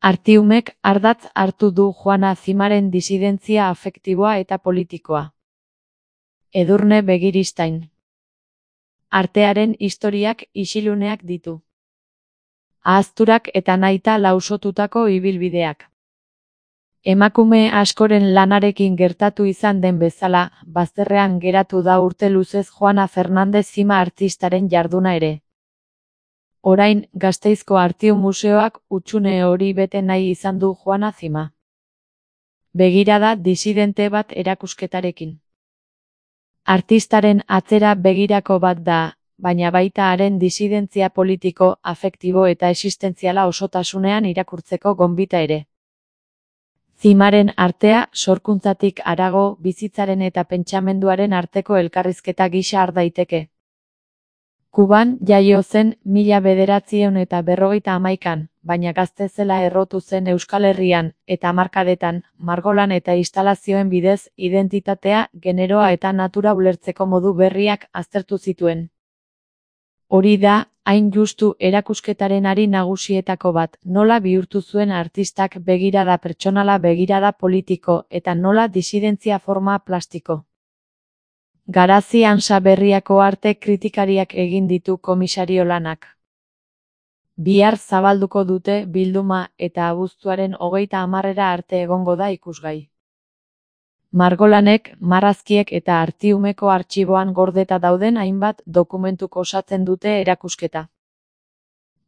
Artiumek ardatz hartu du Juana Zimaren disidentzia afektiboa eta politikoa. Edurne Begiristain. Artearen historiak isiluneak ditu. Ahazturak eta nahita lausotutako ibilbideak. Emakume askoren lanarekin gertatu izan den bezala, bazterrean geratu da urte luzez Juana Fernandez Zima artistaren jarduna ere. Orain, Gasteizko Artium Museoak hutsune hori bete nahi izan du Juana Zima. Begirada disidente bat erakusketarekin. Artistaren atzera begirako bat da, baina baita haren disidentzia politiko, afektibo eta existentziala osotasunean irakurtzeko gonbita ere. Zimaren artea, sorkuntzatik harago, bizitzaren eta pentsamenduaren arteko elkarrizketa gisa har daiteke. Kuban jaio zen 1951, baina gazte zela errotu zen Euskal Herrian, eta hamarkadetan, margolan eta instalazioen bidez, identitatea, generoa eta natura ulertzeko modu berriak aztertu zituen. Hori da, hain justu erakusketaren ari nagusietako bat, nola bihurtu zuen artistak begirada pertsonala begirada politiko, eta nola disidentzia forma plastiko. Garazi Ansa Berriako arte kritikariak egin ditu komisario lanak. Bihar zabalduko dute bilduma eta abuztuaren 30 arte egongo da ikusgai. Margolanek, marrazkiek eta Artiumeko artxiboan gordeta dauden hainbat dokumentuk osatzen dute erakusketa.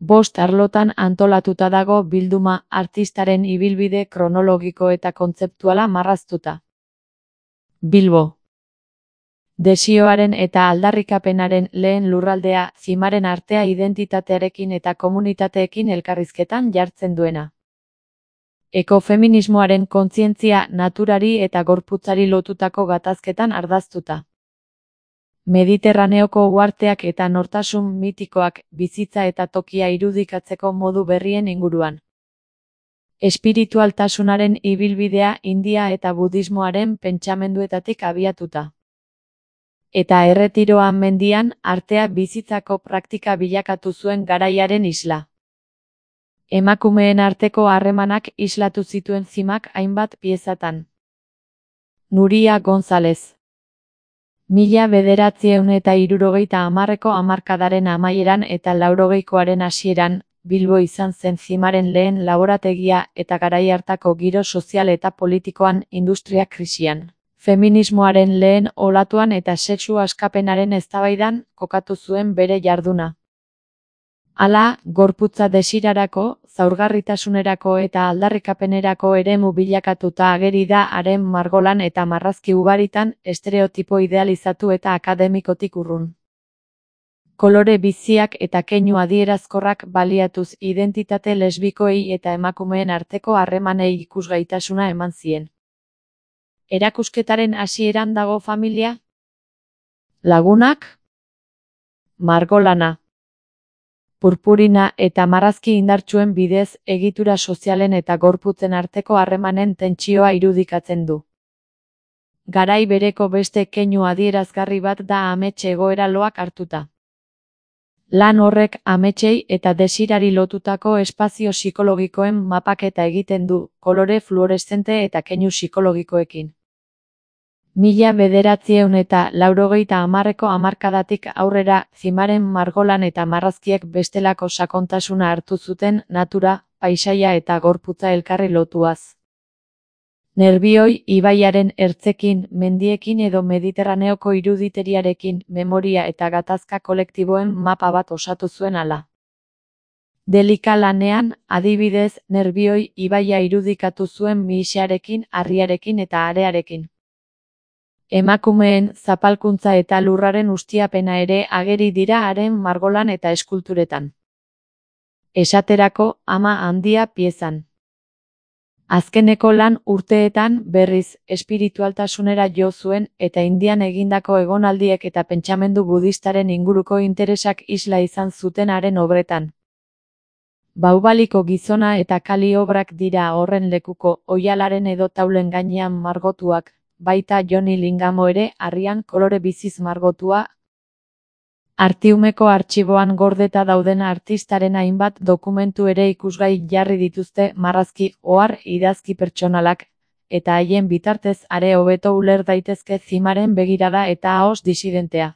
5 arlotan antolatuta dago bilduma artistaren ibilbide kronologiko eta kontzeptuala marraztuta. Bilbo. Desioaren eta aldarrikapenaren lehen lurraldea, Zimaren artea identitatearekin eta komunitateekin elkarrizketan jartzen duena. Ekofeminismoaren kontzientzia naturari eta gorputzari lotutako gatazketan ardaztuta. Mediterraneoko uharteak eta nortasun mitikoak bizitza eta tokia irudikatzeko modu berrien inguruan. Espiritualtasunaren ibilbidea India eta budismoaren pentsamenduetatik abiatuta. Eta Erretiroan mendian artea bizitzako praktika bilakatu zuen garaiaren isla. Emakumeen arteko harremanak islatu zituen Zimak hainbat piezatan. Nuria González. 1970ko hamarkadaren amaieran eta 80koaren hasieran, Bilbo izan zen Zimaren lehen laborategia eta garai hartako giro sozial eta politikoan industria krisian. Feminismoaren lehen olatuan eta sexu askapenaren eztabaidan kokatu zuen bere jarduna. Hala, gorputza desirarako, zaurgarritasunerako eta aldarrikapenerako eremu bilakatuta ageri da haren margolan eta marrazki ugaritan estereotipo idealizatu eta akademikotik urrun. Kolore biziak eta keinu adierazkorrak baliatuz identitate lesbikoei eta emakumeen arteko harremanei ikusgaitasuna eman zien. Erakusketaren hasieran dago familia? Lagunak? Margolana. Purpurina eta marrazki indartsuen bidez egitura sozialen eta gorputzen arteko harremanen tentsioa irudikatzen du. Garai bereko beste keinu adierazgarri bat da amets egoera loak hartuta. Lan horrek ametsei eta desirari lotutako espazio psikologikoen mapaketa egiten du, kolore fluoreszente eta keinu psikologikoekin. 1980ko hamarkadatik aurrera Zimaren margolan eta marrazkiek bestelako sakontasuna hartu zuten natura, paisaia eta gorputza elkarri lotuaz. Nerbioi ibaiaren ertzekin, mendiekin edo Mediterraneoko iruditeriarekin memoria eta gatazka kolektiboen mapa bat osatu zuen hala. Delika lanean, adibidez, Nerbioi ibaia irudikatu zuen mihixearekin, harriarekin eta arearekin. Emakumeen zapalkuntza eta lurraren ustiapena ere ageri dira haren margolan eta eskulturetan. Esaterako, Ama handia piezan. Azkeneko lan urteetan berriz espiritualtasunera jo zuen eta Indian egindako egonaldiek eta pentsamendu budistaren inguruko interesak isla izan zuten haren obretan. Baubaliko gizona eta kali obrak dira horren lekuko, oihalaren edo taulen gainean margotuak, baita Joni Lingamo ere harrian kolore biziz margotua. Artiumeko artxiboan gordeta dauden artistaren hainbat dokumentu ere ikusgai jarri dituzte marrazki, ohar, idazki pertsonalak, eta haien bitartez are hobeto uler daitezke Zimaren begirada eta ahos disidentea.